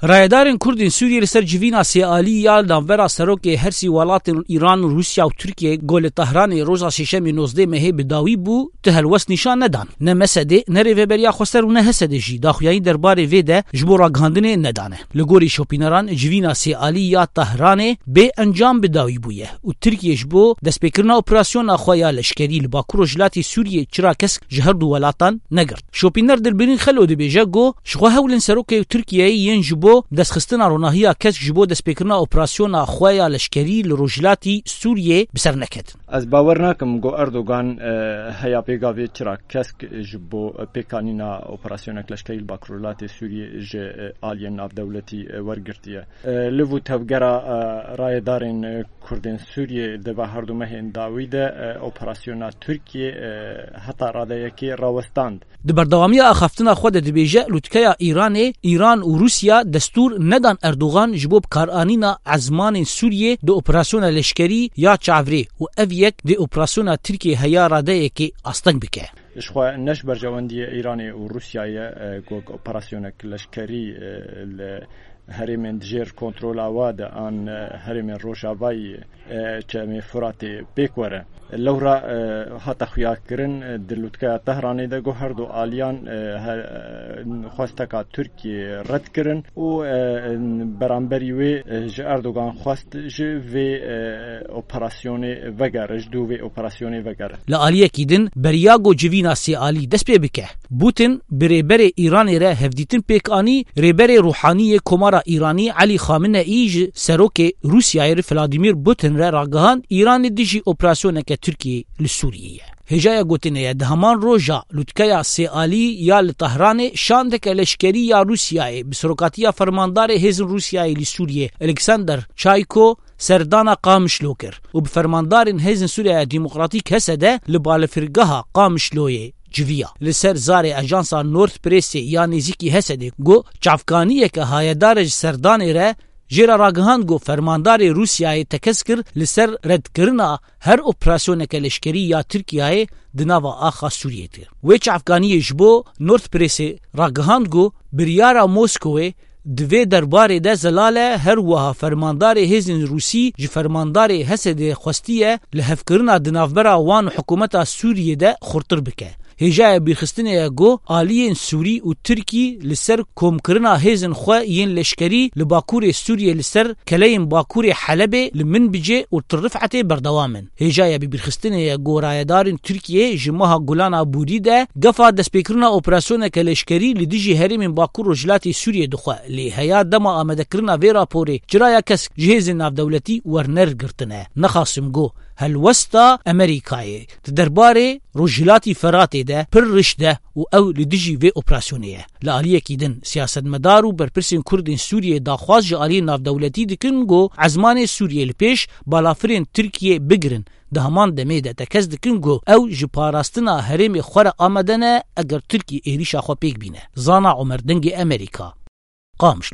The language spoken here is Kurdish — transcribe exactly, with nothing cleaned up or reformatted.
Rayedarên Kurdên Sûriyê li ser civîna sêalî ya navbera serokê hersî welatên Îran, Rûsya û Tirkiye ku li Tehranê roja Sêşemê nozdeh mehê bi dawî bû, ti helwest nîşan nedan. Ne MSDê, ne Rêveberiya Xweser û ne HSDê jî daxuyanî derbarê vê de ji bo ragihandinê nedane. Li gorî şopîneran, civîna sêalî ya Tehranê bê encam bi dawî bûye û Tirkiye ji bo destpêkirina operasyona xwe ya leşkerî li Bakur Rojhilatê Sûriyê çira kesk ji her du welatan negirt. Şopîner Dilbirîn Xelo dibêje ku ji xwe hewl in serokê Tirkiyeyê yên ji bo destxistina ronahiya kesk ji bo destpêkirina operasyona xwe ya leşkerî li Rojhilatî Sûriyê bi ser neketin. Ez bawer nakim ku Erdogan, e, heya pêgavê çira kesk ji bo pêkanîna operasyonek leşkerî li Bakur Rojhilatê Sûriyê ji, e, aliyên navdewletî, e, wergirtiye. E, liv û tevgera, e, rayedarên, e, Kurdên Sûriyê di va her du mehên dawî de, e, operasyona Tirkiyê, e, heta radeyekê rawestand. Di berdewamiya axaftina xwe de dibêje, lûtkeya Îranê, Îran û Rûsya destûr nedan Erdogan ji bo bikaranîna ezmanên Sûriyê di operasyona leşkerî ya çavrê û ev yek dê operasyona Tirkiyê heya radeyekê asteng bike. Ji xwe ne ji berjewendiyê Îranê û Rûsyayê, e, ku operasyonek leşkerî, e, li herêmên dijêr kontrola wa de an, e, herêmên rojavayî, e, çemê Furatê pêk were. Lewra, e, hate xuyakirin, e, di lûtkeya Tehranê de ku her du aliyan, e, he-, e, xwesteka Tirkiyê red kirin û, e, beramberî wê, e, ji Erdogan xwest ji vê, e, operasyonê vegere, ji dû vê operasyonê vegere. Li aliyekî din, beriya ku civîna sêalî dest pê bike, Putin bi rêberê Îranê re hevdîtin pêk anî, rêberê Ruhanî yê Komara Îranî Elî Xameneî ji serokê Rûsyayê re Vladimir Putin re ragihand, Îran li dijî operasyoneke Tirkiyê li Sûriyê ye. Hêjaya gotinê ye, di heman roja lûtkeya sêalî ya li Tehranê şandeke leşkerî ya Rûsyayê bi serokatiya fermandarê hêzên Rûsyayê li Sûriyê, Alexander Çayko, serdana Qamişlo kir û bi fermandarên Hêzên Sûriya Demokratîk, HSD, li balafirgeha Qamişloyê civiya. Li ser zarê ajansa Nord Pressê ya nêzîkî HSDê ku çavkaniyeke hayedar e ji serdanê re jê re ragihand ku fermandarê Rûsyayê tekez kir li ser redkirina her operasyoneke leşkerî ya Tirkiyeyê di nava axa Sûriyê de. Wê çavkaniyê ji bo Nord Pressê ragihand ku biryara Moskowê di vê derbarê de zelal e, her wiha fermandarê hêzên Rûsî ji fermandarê HSDê xwestiye lihevkirina di navbera wan û hikûmeta Sûriyê de xurtir bike. Hêjaya bîrxistinê ye ku aliyên Sûrî û Tirkî li ser komkirina hêzên xwe yên leşkerî li Bakurê Sûriyê li ser keleyên Bakurê Helebê li Minbicê û Til Rifetê berdewam in. Hêjaya bîrxistinê ye ku rayedarên Tirkiyê ji meha Gulan Abûrî de gefa destpêkirina operasyoneke leşkerî li dijî herêmên Bakur Rojhilatê Sûriyê dixwe, lê heya dema amadekirina vê raporê çiraya kesk ji hêzên navdewletî werner girtine. Nexasim ku helwesta Amerîkayê di derbarê Rojhilatî Feratê de pir riş de û ew li dijî vê operasyonê ye. Li aliyekî din, siyasetmedar û berpirsên Kurdên Sûriyê daxwaz ji aliyên navdewletî dikin ku ezmanê Sûriyê li pêş balafirên Tirkiyê bigirin. Di heman demê de tekez dikin ku ew ji parastina herêmê xwe re amade ne, eger Tirkî êrîşa xwe pêk bîne. Zana Omer, Dengê Amerîka, Qamişlo.